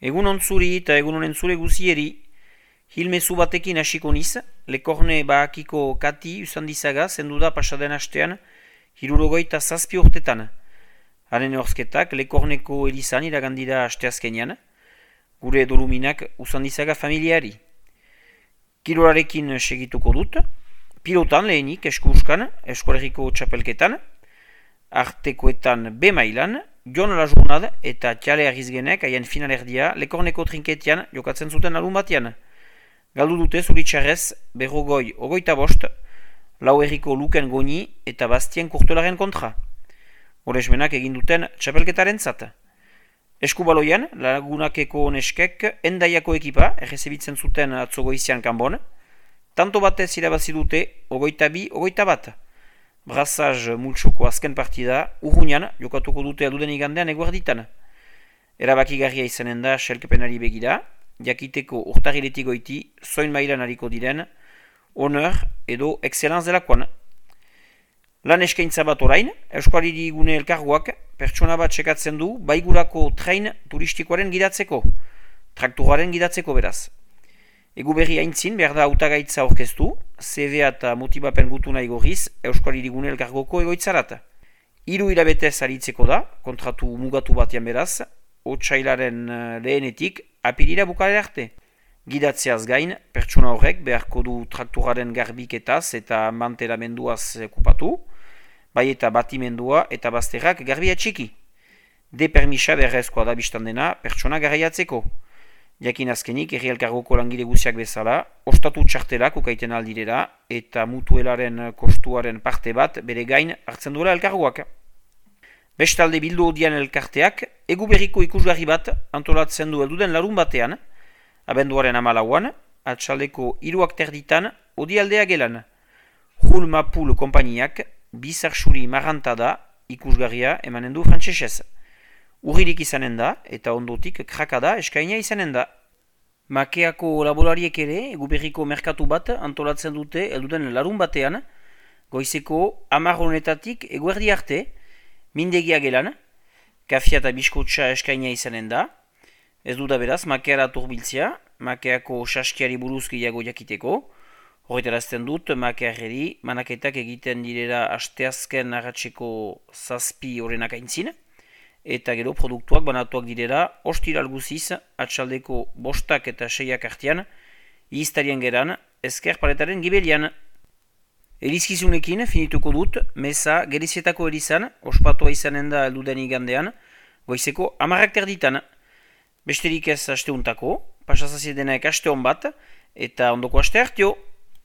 Egun ontzuri eta egun honen zure guzieri, hilmezu batekin hasiko niz, Lekorne Bahakiko Kati Usandizaga zendu da pasaden hastean, 67 urtetan. Haren horzketak Lekorneko Elizan iragandira asteazkenean, gure doluminak Usandizaga familiari. Kirolarekin segituko dut, pilotan lehenik eskuuskan, eskolegiko txapelketan, artekoetan B mailan, Jon Lajurnad eta Txale Arrizgenek haien finalerdia Lekorneko trinketian jokatzen zuten larun batean. Galdu dute zuritxarrez berrogoi ogoita bost, lau erriko Luken Goni eta Bastien Kurtolaren kontra. Horesmenak egin duten txapelketaren zat. Eskubaloian, Lagunakeko neskek Endaiako ekipa errezebitzen zuten atzogoizian kanbon, tanto batez irabazi dute ogoita bi, ogoita bat. Brassaz multsoko azken partida, urruñan jokatuko dute alduden igandean eguerditan. Erabakigarria izanen da selkepenari begira, jakiteko urtarriletik goiti, zoin mailan hariko diren, honor edo excellenz delakoan. Lan eskaintza bat orain, Euskaliri Gune Elkargoak pertsona bat sekatzen du baigurako train turistikoaren gidatzeko, traktoraren gidatzeko beraz. Egu berri haintzin behar da hautagaitza orkestu, CV eta motibapen gutuna igorriz Euskaliri Gune Elkargoko egoitzarat. 3 hilabetez aritzeko da, kontratu mugatu batean beraz, otsailaren lehenetik apirira bukale arte. Gidatzeaz gain, pertsona horrek beharko du traktoraren garbiketaz eta mantelamenduaz okupatu, bai eta batimendua eta bazterrak garbia txiki. De permisa berrezkoa da biztan dena pertsona garaiatzeko. Jakin azkenik, herri elkargoko langile guziak bezala, ostatu txartelak ukaiten aldirera eta mutuelaren kostuaren parte bat bere gain hartzen duela elkargoak. Bestalde bildu odian elkarteak, egu berriko ikusgarri bat antolatzen du elduden larun batean, abenduaren 14an, atxaldeko 3:00 odialdea gelan. Jul Mapul konpainiak, bizarsuri marranta da ikusgarria emanen du frantsesez. Urririk izanen da eta ondotik krakada eskaina izanen da. Makeako laborariek ere egu berriko merkatu bat antolatzen dute elduden larun batean, goizeko 10 honetatik eguerdi arte, mindegia gelan, kafia eta biskotxa eskaina izanen da. Ez du da beraz, makeara turbiltzea, makeako saskiari buruz gehiago jakiteko. Horretarazten dut, makearreri manaketak egiten direla asteazken arratseko 7 horrenak aintzin, eta gero produktuak banatuak direla ostiral guziz, atxaldeko 5 eta 6 artean, iztarien geran, ezker paletaren gibelian. Elizkizunekin finituko dut, meza Gerizietako Elizan, ospatua izanen da elduden igandean, goizeko 10:00 Besterik ez asteuntako, pasazaziedenak aste hon bat, eta ondoko aste hartio.